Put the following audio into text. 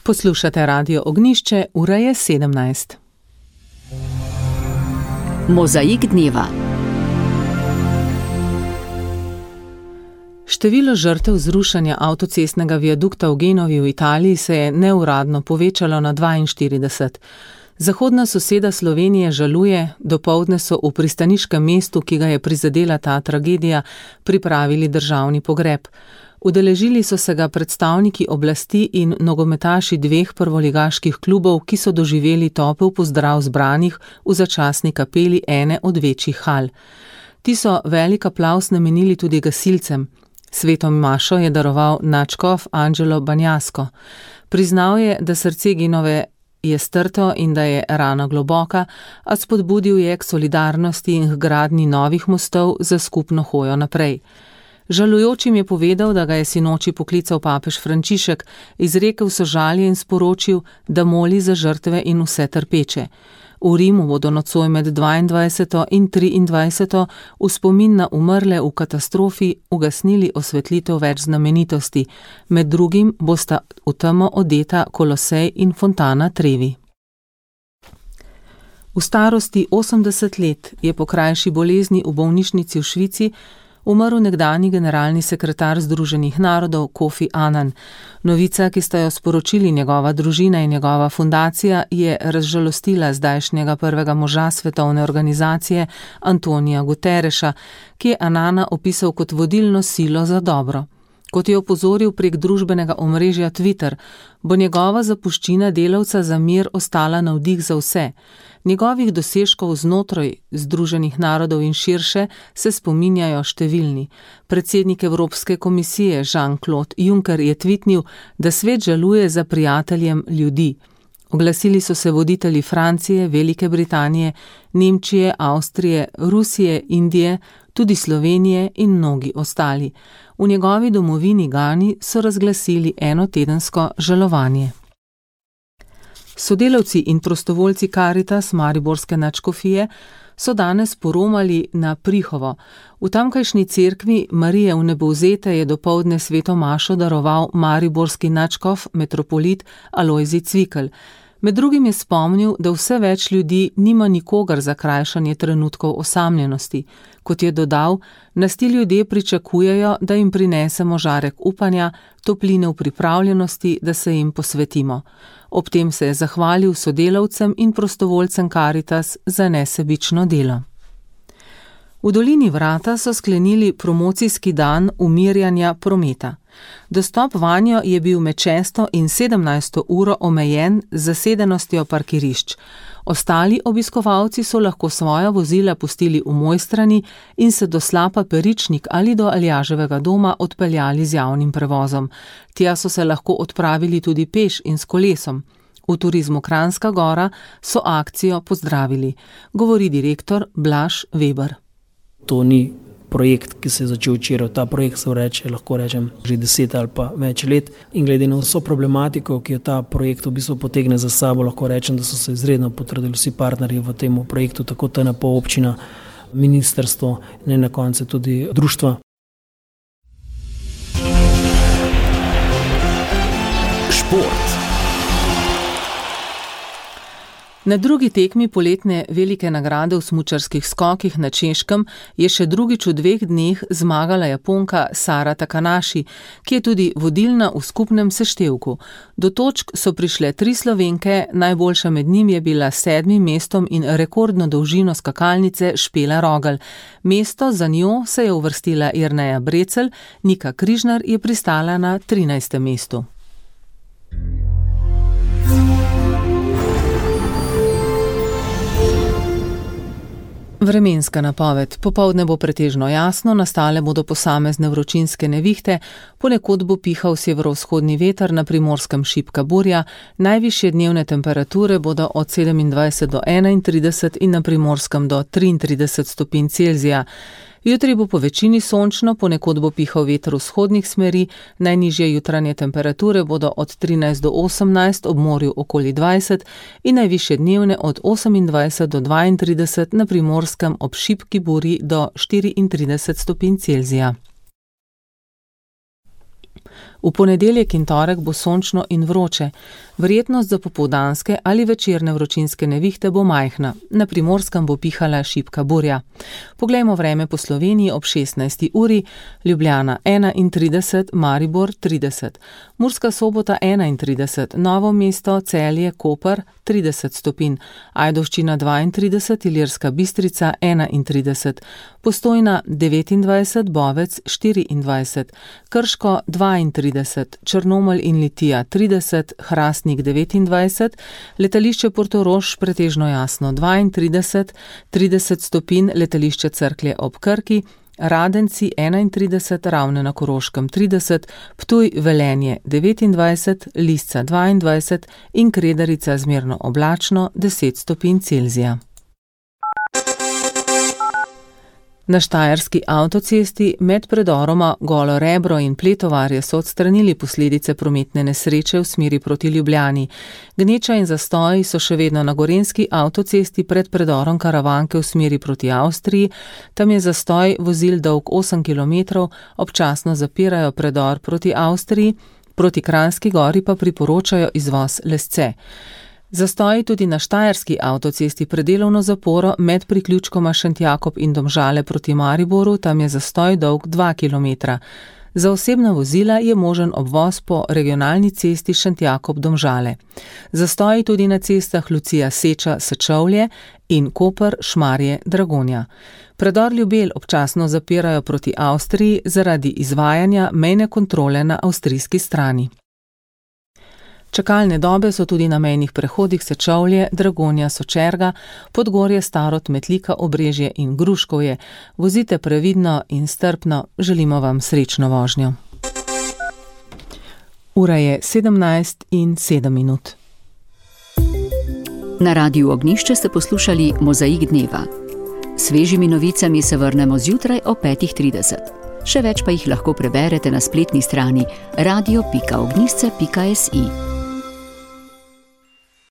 Poslušate Radio Ognjišče, ura je 17. Mozaik dneva. Število žrtev zrušanja avtocestnega viadukta v Genovi v Italiji se je neuradno povečalo na 42. Zahodna soseda Slovenije žaluje, dopoldne so v pristaniškem mestu, ki ga je prizadela ta tragedija, pripravili državni pogreb. Udeležili so se ga predstavniki oblasti in nogometaši dveh prvoligaških klubov, ki so doživeli topel pozdrav zbranih v začasni kapeli ene od večjih hal. Ti so velik aplavz namenili tudi gasilcem. Sveto mašo je daroval nadškof Angelo Banjasko. Priznal je, da srce Genove je strto in da je rana globoka, a spodbudil je k solidarnosti in k gradnji novih mostov za skupno hojo naprej. Žalujočim je povedal, da ga je sinoči poklical papež Frančišek, izrekel sožalje in sporočil, da moli za žrtve in vse trpeče. V Rimu bodo nocoj med 22. in 23. v spomin na umrle v katastrofi ugasnili osvetlitev več znamenitosti, med drugim bosta v temo odeta Kolosej in fontana Trevi. V starosti 80 let je po krajši bolezni v bolnišnici v Švici umrl nekdanji generalni sekretar Združenih narodov Kofi Annan. Novica, ki sta jo sporočili njegova družina in njegova fundacija, je razžalostila zdajšnjega prvega moža svetovne organizacije Antonija Guterreša, ki je Annana opisal kot vodilno silo za dobro. Kot je opozoril prek družbenega omrežja Twitter, bo njegova zapuščina delavca za mir ostala navdih za vse. Njegovih dosežkov znotraj Združenih narodov in širše se spominjajo številni. Predsednik Evropske komisije Jean-Claude Juncker je tvitnil, da svet žaluje za prijateljem ljudi. Oglasili so se voditelji Francije, Velike Britanije, Nemčije, Avstrije, Rusije, Indije, tudi Slovenije in mnogi ostali. V njegovi domovini Gani so razglasili enotedensko žalovanje. Sodelavci in prostovoljci Karitas mariborske nadškofije so danes poromali na Prihovo. V tamkajšnji cerkvi Marije Vnebovzete je dopoldne sveto mašo daroval mariborski nadškof metropolit Alojzij Cvikl. Med drugim je spomnil, da vse več ljudi nima nikogar za krajšanje trenutkov osamljenosti. Kot je dodal, nas ti ljudje pričakujejo, da jim prinesemo žarek upanja, topline v pripravljenosti, da se jim posvetimo. Ob tem se je zahvalil sodelavcem in prostovoljcem Karitas za nesebično delo. V dolini Vrata so sklenili promocijski dan umirjanja prometa. Dostop vanjo je bil med 6. in 17. uro omejen z zasedenostjo parkirišč. Ostali obiskovalci so lahko svoja vozila pustili v Mojstrani in se do Slapa Peričnik ali do Aljaževega doma odpeljali z javnim prevozom. Tja so se lahko odpravili tudi peš in s kolesom. V Turizmu Kranjska Gora so akcijo pozdravili, govori direktor Blaž Weber. To ni projekt, ki se je začel včeraj. Ta projekt se lahko rečem že 10 ali pa več let. In glede na vso problematiko, ki jo ta projekt v bistvu potegne za sabo, lahko rečem, da so se izredno potrudili vsi partnerji v tem projektu, tako TNP občina, ministrstvo in na koncu tudi društva. Šport. Na drugi tekmi poletne velike nagrade v smučarskih skokih na Češkem je še drugič v 2 dneh zmagala Japonka Sara Takanaši, ki je tudi vodilna v skupnem seštevku. Do točk so prišle 3 Slovenke, najboljša med njim je bila s 7. mestom in rekordno dolžino skakalnice Špela Rogelj. Mesto za njo se je uvrstila Jerneja Brecelj, Nika Križnar je pristala na 13. mestu. Vremenska napoved. Popoldne bo pretežno jasno, nastale bodo posamezne vročinske nevihte, ponekod bo pihal severovzhodni veter, na Primorskem šibka burja, najvišje dnevne temperature bodo od 27 do 31 in na Primorskem do 33 stopinj Celzija. Jutri bo po večini sončno, ponekod bo pihal veter vzhodnih smeri, najnižje jutranje temperature bodo od 13 do 18, ob morju okoli 20 in najvišje dnevne od 28 do 32, na Primorskem ob šibki burji do 34 stopinj Celzija. V ponedeljek in torek bo sončno in vroče. Verjetnost za popoldanske ali večerne vročinske nevihte bo majhna. Na Primorskem bo pihala šibka burja. Poglejmo vreme po Sloveniji ob 16. uri. Ljubljana 31, Maribor 30, Murska Sobota 31, Novo mesto, Celje, Koper 30 stopinj, Ajdovščina 32, Ilirska Bistrica 31, Postojna 29, Bovec 24, Krško 32, Črnomelj in Litija 30, Hrastnik 29, letališče Portorož pretežno jasno 32, 30 stopinj, letališče Cerklje ob Krki, Radenci 31, Ravne na Koroškem 30, Ptuj, Velenje 29, Lisca 22 in Kredarica zmerno oblačno 10 stopinj Celzija. Na štajerski avtocesti med predoroma Golo Rebro in Pletovarje so odstranili posledice prometne nesreče v smeri proti Ljubljani. Gneča in zastoji so še vedno na gorenjski avtocesti pred predorom Karavanke v smeri proti Avstriji. Tam je zastoj vozil dolg 8 km, občasno zapirajo predor proti Avstriji, proti Kranjski Gori pa priporočajo izvoz Lesce. Zastoji tudi na štajerski avtocesti pred delovno zaporo med priključkoma Šentjakob in Domžale proti Mariboru, tam je zastoj dolg 2 km. Za osebna vozila je možen obvoz po regionalni cesti Šentjakob-Domžale. Zastoji tudi na cestah Lucija Seča-Sečovlje in Koper-Šmarje-Dragonja. Predor Ljubelj občasno zapirajo proti Avstriji zaradi izvajanja mejne kontrole na avstrijski strani. Čakalne dobe so tudi na mejnih prehodih Sečovlje, Dragonja, Sočerga, Podgorje, Starod, Metlika, Obrežje in Gruškovje. Vozite previdno in strpno, želimo vam srečno vožnjo. Ura je 17:07. Na Radiu Ognjišče ste poslušali Mozaik dneva. Svežimi novicami se vrnemo zjutraj o 5:30. Še več pa jih lahko preberete na spletni strani radio.ognjišče.si.